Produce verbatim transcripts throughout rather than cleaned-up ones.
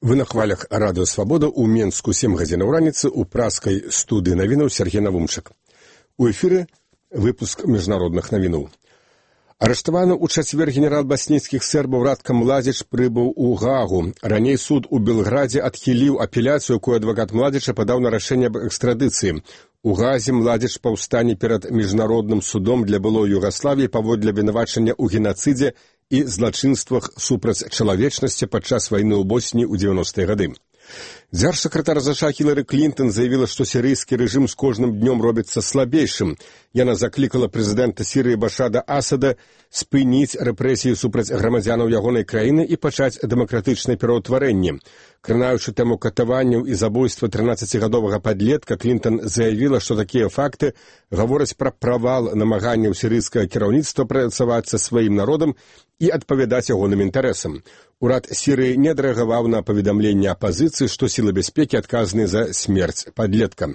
Вы на хвалях радыё Свабода ў Менску сем гадзінаў раніцы ў праскай студыі навінаў Сергей Навумчык. У эфіры выпуск міжнародных навінаў. Арыштаваны ў чацвер генерал баснійскіх сербаў Радка Младзіч прыбыў у Гаагу. Раней суд у Белградзе адхіліў апеляцыю, якую адвакат Младзіча падаў на рашэнне аб экстрадыцыі. У Гаазе Младзіч паўстане перад міжнародным судом для былой Югаславіі паводле абвінавачання ў генацыдзе і злачынствах супраць чалавечнасці падчас вайны ў Босніі ў дзевяностыя гады. Дзяржсакратар ЗША Хілары Клінтон заявіла, што сірыйскі рэжым з кожным днём робіцца слабейшым. Яна заклікала прэзідэнта Сірыі Башара Асада спыніць рэпрэсіі супраць грамадзянаў ягонай краіны і пачаць дэмакратычнае пераўтварэнне. Кранаючы тэму катаванняў і забойства трынаццацігадовага падлетка, Клінтон заявіла, што такія факты гавораць пра правал намаганняў сірыйскага кіраўніцтва працаваць са сваім народам і адпавядаць ягоным інтарэсам. Урад Сірыі не адрэагаваў на паведамленне апазіцыі, што сілы бяспекі адказныя за смерць падлетка.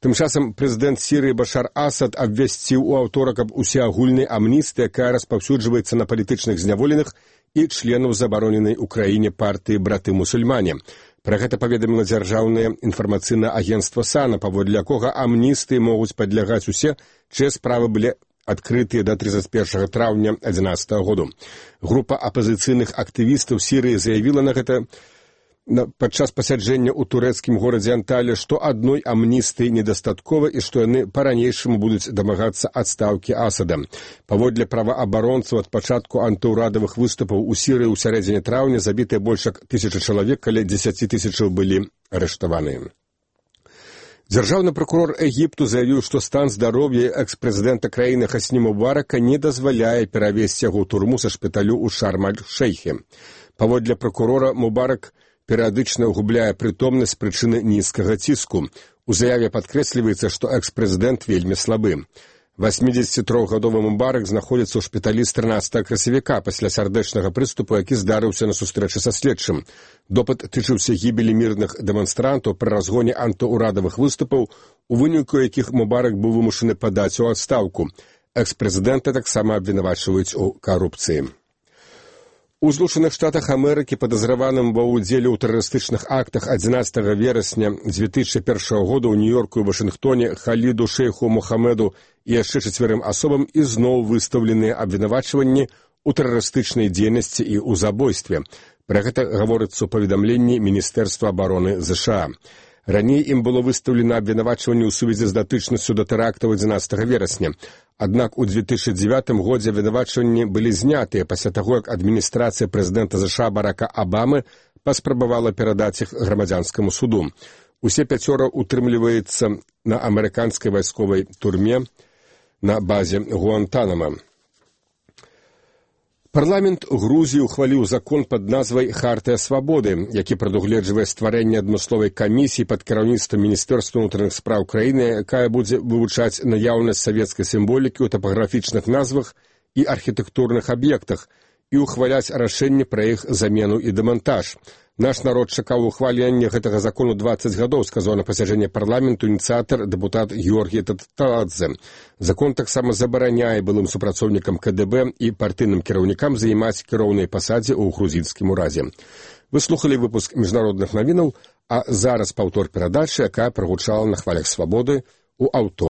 Тым часам прэзідэнт Сірыі Башар Асад абвясціў у аўторак аб усеагульнай амністыі, якая распаўсюджваецца на палітычных зняволеных і членаў забароненай у краіне партыі браты-мусульмане. Пра гэта паведаміла дзяржаўнае інфармацыйнае агенцтва САНА, паводле якога амністыі могуць падлягаць усе, чые справы былі адкрытыя да трыццаць першага траўня адзінаццатага году. Група апазіцыйных актывістаў Сірыі заявіла на гэта падчас пасяджэння ў турэцкім горадзе Анталія, што адной амністыі недастаткова і што яны па-ранейшаму будуць дамагацца адстаўкі Асада. Паводле праваабаронцаў, ад пачатку антыўрадавых выступаў у Сірыі ў сярэдзіне траўня забітыя больш як тысяча чалавек, каля дзесяці тысячаў былі арыштаваныя. Дзяржаўны пракурор Егіпту заявіў, што стан здароўя экс-прэзідэнта краіны Хасні Мубарака не дазваляе перавесці яго ў турму са шпіталю ў Шарм-аль-Шэйхе. Паводле пракурора, Мубарак перыядычна губляе прытомнасць з прычыны нізкага ціску. У заяве падкрэсліваецца, што экс-прэзідэнт вельмі слабы. васьмідзесяцітрохгадовы Мубарак знаходзіцца ў шпіталі з трынаццатага красавіка пасля сардэчнага прыступу, які здарыўся на сустрэчы са следчым. Допыт тычыўся гібелі мірных дэманстрантаў пры разгоне антыўрадавых выступаў, у выніку якіх Мубарак быў вымушаны падаць у адстаўку. Экс-прэзідэнта таксама абвінавачваюць у карупцыі. У Злучаных Штатах Амерыкі падазраваным ва ўдзеле ў тэрарыстычных актах адзінаццатага верасня дзве тысячы першага года ў Нью-Йорку і Вашынгтоне Халіду Шейху Мухаммеду і яшчэ чацвярым асобам ізноў выстаўленыя абвінавачванні ў тэрарыстычнай дзейнасці і ў забойстве. Пра гэта гаворыцца ў паведамленні Міністэрства абароны ЗША. Раней ім было выстаўлена абвінавачванне ў сувязі з датычнасцю да тэрактаў адзінаццатага верасня. Аднак у дзве тысячы дзевятым годзе абвінавачванні былі знятыя пасля таго, як адміністрацыя прэзідэнта ЗША Барака Абамы паспрабавала перадаць іх грамадзянскаму суду. Усе пяцёра утрымліваецца на амерыканскай вайсковай турме на базе Гуантанама. Парламент Грузіі ухваліў закон пад назвай «Хартыя свабоды», які прадугледжвае стварэнне адмысловай камісіі пад кіраўніцтвам Міністэрства ўнутраных спраў краіны, якая будзе вывучаць наяўнасць савецкай сімволікі ў тапаграфічных назвах і архітэктурных аб'ектах і ухваляць рашэнне пра іх замену і дэмантаж. Наш народ чакаў ухвалення гэтага закону дваццаць гадоў, сказаў на пасяджэнні парламенту ініцыятар дэпутат Георгій Таталадзе. Закон таксама забараняе былым супрацоўнікам КДБ і партыйным кіраўнікам займаць кіроўныя пасадзе ў грузінскім уразе. Вы слухалі выпуск міжнародных навінаў, а зараз паўтор перадачы, якая прагучала на хвалях Свабоды ў аўторак.